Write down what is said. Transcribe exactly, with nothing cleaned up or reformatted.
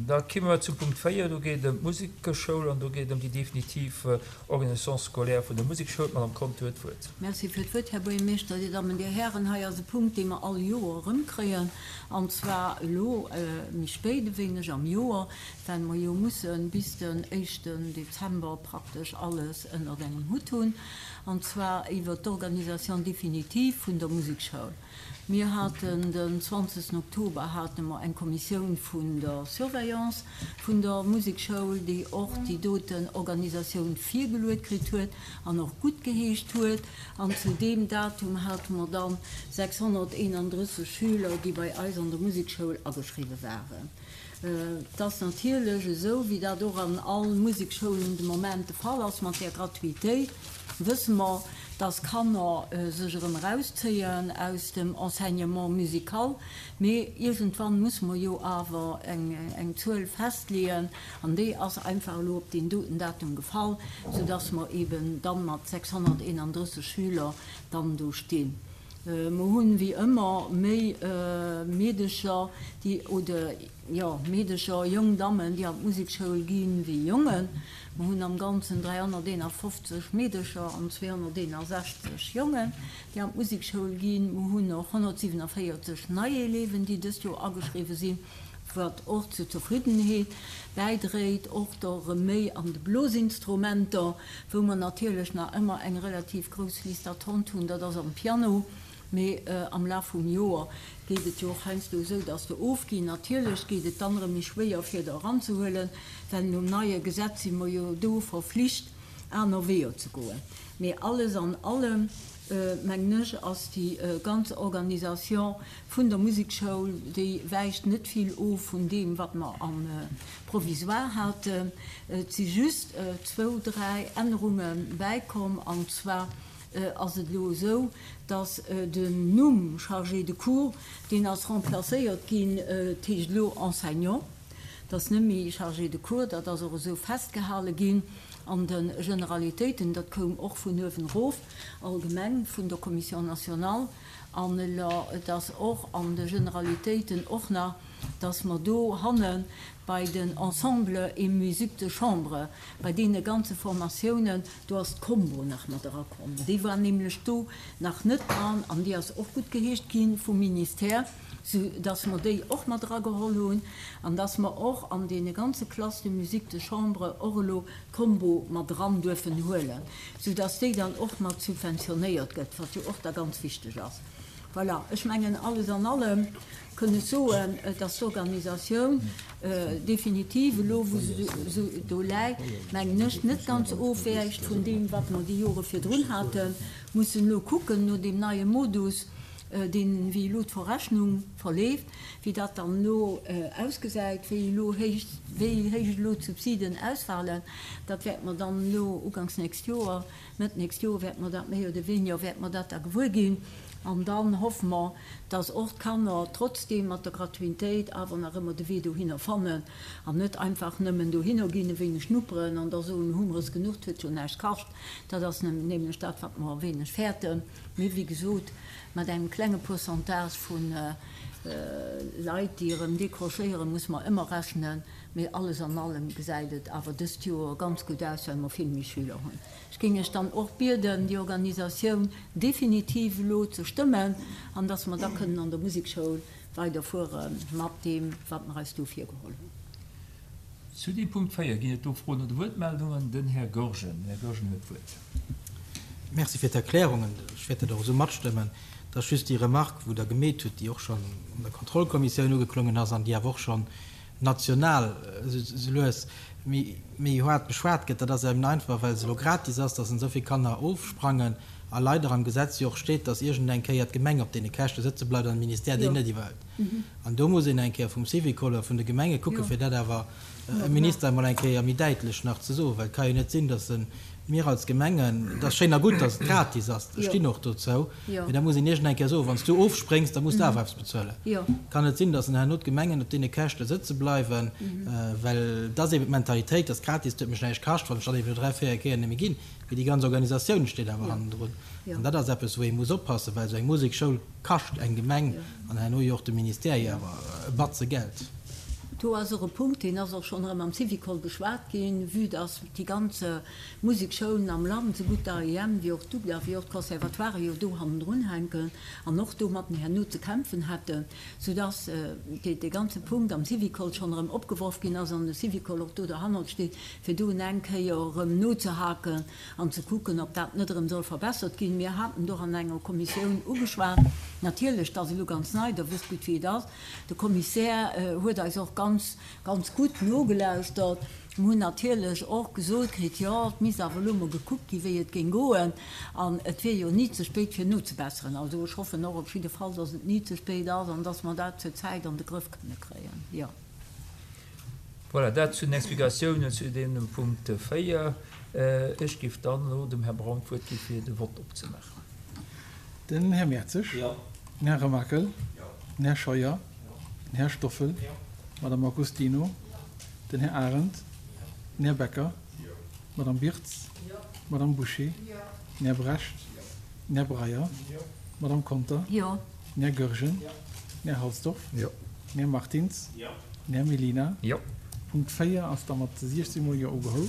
Da komme mer zum Punkt véier, do geet et ëm d'Musekschoul an do geet et ëm déi definitiv Organisation scolaire vun der Musekschoul. D'Madame Conter huet d'Wuert. Merci fir d'Wuert, Här Buergermeeschter, Dir Dammen, Dir Hären. Hei ass e Punkt, dee mer all Joer erëmkréien, an zwar elo méi spéit e wéineg am Joer, well mer jo mussen bis den éischten Dezember praktesch alles ënnert engem Hutt hunn, an zwar iwwert d'Organisation définitive vun der Musekschoul. Mir haten den zwanzegsten Oktober hate mer eng Kommissioun vun der Surveillance vun der Musekschoul, déi och déi doten Organisatioun virgeluet kritt huet an och guttgeheescht huet. An zu deem Datum hate mer dann sechshonnerteenandrësseg Schüler, déi bei eis an der Musekschoul ageschriwwe waren. Et ass natierlech esou, wéi dat och an all Musekschoulen de Moment de Fall ass mat där Gratuitéit, wësse mer, dass Kanner sech erëm erauszéien aus dem Enseignement musical, mee iergendwann musse mer jo awer eng Zuel festleeën, an déi ass einfach elo op deen doten Datum gefall, soudass mer eeben da mat sechshonnerteenandrësseg Schüler dann do stinn. Mer hunn, wéi ëmmer, méi Meedecher, déi, oder, jo, Meedecher, jong Dammen, déi an d'Musekschoul ginn, wéi Jongen. Mer hunn am Ganzen dräihonnerteenafofzeg Meedecher an zweehonnerteenasechzeg Jongen, déi an d'Musekschoul ginn. Mer hunn och honnertsiwenavéierzeg nei Eleven, déi dëst Joer ageschriwwe sinn, wat och zur Zefriddenheet bäidréit, och der erëm méi an de Blosinstrumenter, wou mer natierlech nach ëmmer eng relativ grouss Liste d'attente hunn, dat ass am Piano. Mee am Laf vum Joer geet et jo och heiansdo esou, dass der ofginn. Natierlech geet et dann erëm méi schwéier, fir der eranzehuelen, well nom neie Gesetz si mer jo do verflicht, aner Weeër ze goen. Mee alles an allem, mengen ech, ass déi ganz Organisation vun der Musekschoul, déi wäicht net vill of vun deem, wat mer am Provisoire haten. Et si just zwou, dräi Ännerunge bäikomm, an zwar ass et elo esou, dass den Numm Chargé de cours, deen ass remplacéiert ginn, et heescht elo Enseignant, et ass net méi Chargé de cours, dat ass och esou festgehale ginn an de Generalitéiten, dat koum och vun uewen erof, allgemeng vun der Commission nationale, an elo et ass och an de Generalitéiten och nach, dass mer do hanne bei den Ensembles et musiques de chambre, bei deene ganze Formatiounen, do ass d'Combo nach mat erakomm. Déi war nämlech do nach net dran an déi ass och guttgeheescht gi vum Ministère, sou dass mer déi och mat erageholl hunn an dass mer och an deene ganze Classes de musique de chambre och elo d'Combo mat eran duerfen huelen, sou dass déi dann och mat subventionéiert gëtt, wat jo och da ganz wichteg ass. Voilà, ech mengen, alles an allem kënn ech soen, dass d'Organisatioun definitiv elo, wou se esou do läit, mengen ech, net ganz ofwäicht vun deem, wat mer déi Jore virdrun haten. Mussen elo kucken no deem neie Modus, deen, wéi elo d'Verrechnung verleeft, wéi dat dann elo ausgesäit, wéi elo héich, wéi héich elo d'Subsiden ausfalen. Dat wäerte mer dann elo uganks nächst Joer, Mëtt nächst Joer wäerte mer dat méi oder weniger, wäerte mer dat da gewuer ginn. An dann hoffe mer, dass och d'Kanner trotzdeem mat der Gratuitéit awer nach ëmmer de Wee dohinner fannen an net einfach nëmmen dohinner ginn, e wéineg schnupperen an da soen, hu mer es genuch, 't huet jo näischt kascht. Dat ass nämlech dat, wat mer e wéineg fäerten. Mee wéi gesot, mat engem klenge Pourcentage vu Leit, déi erëm décrochéieren, muss mer ëmmer rechnen. Mee alles an allem gesäit et awer dëst Joer ganz gutt aus, well mer vill méi Schüler hunn. Ech géing Iech dann och bieden, déi Organisatioun definitiv elo ze stëmmen an dass mer da kënnen an der Musekschoul weiderfuere mat deem, wat mer eis do virgeholl hunn. Zu deem Punkt véier ginn et do Froen oder Wuertmeldungen. Den Här Goergen. Den Här Goergen huet d'Wuert. Merci fir d'Erklärungen. Ech wäert dat och esou matstëmmen. Et ass just déi Remarque, wou Der gemeet hutt, déi och schonn an der Kontrollkommissioun ugeklongen ass an déi awer och schonn national esou lues méi méi haart beschwat gëtt, dat ass eben einfach, well se elo gratis ass, dass esou vill Kanner ofsprangen a leider am Gesetz jo och steet, dass iergend eng Kéier d'Gemeng op deene Käschte sëtze bleift an de Ministère déi net iwwerhëlt. An do muss een eng Kéier vum Syvicol oder vun de Gemenge kucken, fir dat awer dem Minister emol eng Kéier méi däitlech nach ze soen, well et ka jo net sinn, dass e mir als Gemengen, et ass schéin a gutt, dass et gratis ass, ech stinn och dozou, mee da muss een iergend eng Kéier soen, wann s du ofspréngs, da muss de awer eppes bezuelen. Et kann net sinn, dass herno d'Gemengen op deene Käschte sëtze bleiwen, well et ass eeben d'Mentalitéit, dass gratis, et huet mech näischt kascht, wann ech dann eeben no dräi, véier Kéier net méi ginn. Mee déi ganz Organisatioun steet awer hannendrun. An dat ass eppes, wou ee muss oppassen, well esou eng Musekschoul kascht eng Gemeng an herno jo och de Ministère jo awer e Batze Geld. Do ass och e Punkt, deen ass och schonn erëm am Syvicol beschwat ginn, vue dass déi ganz Musekschoulen am Land, sougutt d'AEM wéi och d'UGDA wéi och d'Conservatoiren jo do hannendrun hänken an och domatten herno ze kämpfen hätten, soudass dee ganze Punkt am Syvicol schonn erëm opgeworf ginn ass an de Syvicol och do derhannert steet, fir do eng Kéier erëm nozehaken an ze kucken, ob dat net erëm soll verbessert ginn. Mir haten et och an enger Kommissioun ugeschwat. Natierlech, dat ass elo ganz nei, Der wësst gutt, wéi et ass. De Kommissär huet eis och ganz, ganz gutt nogelauschtert. Mir hunn natierlech och gesot kritt, jo, et misst awer elo mol gekuckt ginn, wéi et géing goen, an et wier jo ni ze spéit, fir nozebesseren. Also ech hoffen och op jidde Fall, dass et ni ze spéit ass an dass mer dat zur Zäit an de Grëff kënne kréien, jo. Voilà, dat zu den Explikatiounen zu deemem Punkt véier. Ech géif dann elo dem Här Braun d'Wuert gi fir de Vott opzemaachen. Den Här Mertzig. Jo. Den Här Remakel. Jo. Den Här Scheuer. Jo. Den Här Stoffel. Jo. D'Madame Agostino. Jo. Den Här Arendt. Jo. Den Här Becker. Jo. D'Madame Birtz. Jo. D'Madame Bouché. Jo. Den Här Brecht. Jo. Den Här Breyer. Jo. D'Madame Conter. Jo. Den Här Goergen. Jo. Den Här Halsdorf. Jo. Den Här Martins. Jo. Den Här Mellina. Jo. Punkt véier ass da mat siechzehn mol Jo ugeholl.